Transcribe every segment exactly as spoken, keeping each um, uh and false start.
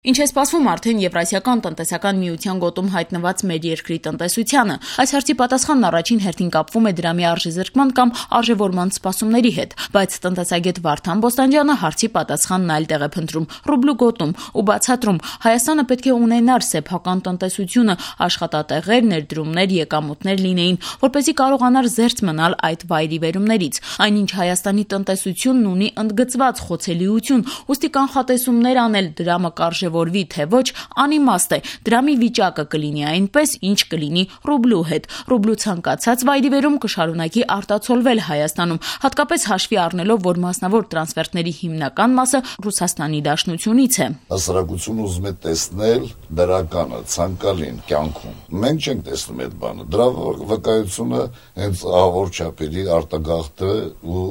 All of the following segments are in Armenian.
Ինչ է սպասվում արդեն Եվրասիական տնտեսական միության գոտում հայտնված մեր երկրի տնտեսությանը։ Այս հարցի պատասխանն առաջին հերթին կապվում է դրամի արժեզրկման կամ արժեվորման սպասումների հետ, բայց տնտեսագետ Վարդան Բոստանջյանը հարցի պատասխանն այլ տեղ է փնտրում՝ ռուբլու գոտում ու բացատրում՝ Հայաստանը պետք է ունենար սեփական տնտեսությունը, աշխատատեղեր, ներդրումներ, եկամուտներ լինեին, որպեսզի կարողանար զերծ մնալ այդ վայրիվերումներից։ Այնինչ Հայաստանի տնտեսությունն ունի ընդգծված խոցելիություն, ուստի կանխատեսումներ անել դրամը կարժե որվի թե ոչ անիմաստ է, դրամի վիճակը կլինի այնպես, ինչ կլինի ռուբլու հետ։ Ռուբլու ցանկացած վայրիվերում կշարունակի արտացոլվել Հայաստանում, հատկապես հաշվի առնելով, որ մասնավոր տրանսֆերտների հիմնական մասը Ռուսաստանի Դաշնությունից է։ Հասարակությունը ուզում է տեսնել դրականը, ցանկալին կյանքում։ Մենք չենք տեսնում այդ բանը։ Դրա վկայությունը հենց ահավոր չափերի արտագաղթը ու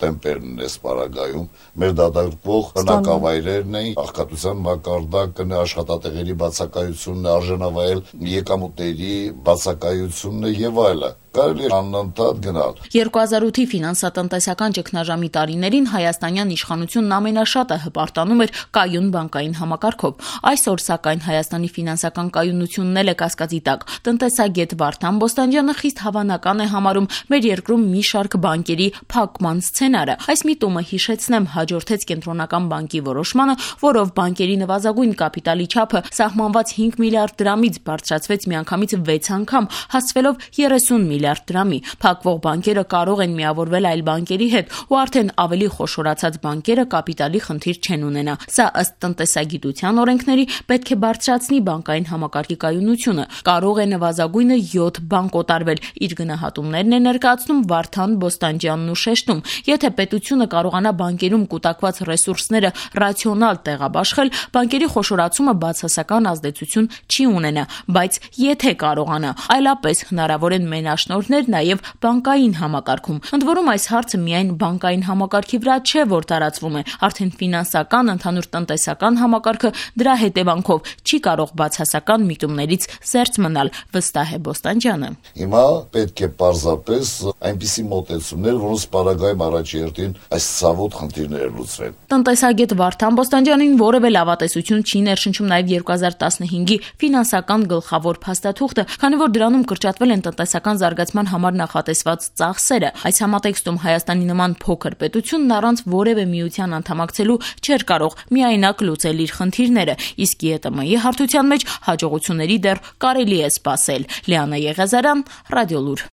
տեմպերն է սպառագայում։ Մեր դատարկվող բնակավայրերն են, աղքատության մակարդակն է, աշխատատեղերի բացակայությունն է, արժանավայել եկամուտների բացակայությունն է եւ այլն։ Կարելի է անընդհատ գնալ։ երկու հազար ութի ֆինանսատնտեսական ճգնաժամի տարիներին հայաստանյան իշխանությունն ամենաշատը հպարտանում էր կայուն բանկային համակարգով։ Այսօր, սակայն, Հայաստանի ֆինանսական կայունությունն էլ է կասկածի տակ։ Տնտեսագետ Վարդան Բոստանջյանը խիստ հավանական է համարում մեր երկրում մի շարք բանկերի փակման սցենարը։ Այս միտումը, հիշեցնեմ, հաջորդեց Կենտրոնական բանկի որոշմանը, որով բանկերի նվազագույն կապիտալի չափը սահմանված հինգ միլիարդ դրամից բարձրացվեց միանգամից վեց անգամ, հասցվելով երեսուն միլիարդ դրամի։ Փակվող բանկերը կարող են միավորվել այլ բանկերի հետ ու արդեն ավելի խոշորացած բանկերը կապիտալի խնդիր չեն ունենա։ Սա ըստ տնտեսագիտության օրենքների պետք է բարձրացնի բանկային համակարգի կայունությունը։ Կարող է նվազագույնը յոթ բանկ օտարվել։ Իր գնահատումներն է ներկայացնում Վարդան Բոստանջյանն ու շեշտում. եթե պետությունը կարողանա բանկերում կուտակված ռեսուրսները ռացիոնալ տեղաբաշխել, բանկերի խոշորացումը բացասական ազդեցություն չի ունենա, բայց եթե կարողանա, այլապես հնարավոր են մենաշնորհներ նաև բանկային համակարգում։ Ընդ որում, այս հարցը միայն բանկային համակարգի վրա չէ, որ տարածվում է, արդեն ֆինանսական, ընդհանուր տնտեսական համակարգը դրա հետևանքով չի կարող բացասական միտումներից զերծ մնալ, վստահ է Բոստանջյանը։ Հիմա պետք է պարզապես այնպիսի մոտեցումներ, որոնց պարագայում առաջերտին այս ցավոտ խնդիրները լուծվեն։ Տնտեսագետ Վարդան Բոստանջյանին որևէ լավատեսություն չի ներշնչում նաև երկու հազար տասնհինգի ֆինանսական գլխավոր փաստաթուղթը, քանի որ դրանում կրճատվել են տնտեսական զարգացման համար նախատեսված ծախսերը։ Այս համատեքստում Հայաստանի նման փոքր պետությունն առանց որևէ միության անդամակցելու չէր կարող միայնակ լուծել իր խնդիրները, իսկ ԵՏՄ-ի հարթության մեջ հաջողությունների դեռ կարելի է սպասել։ Լիանա Եղիազարյան, Ռադիոլուր։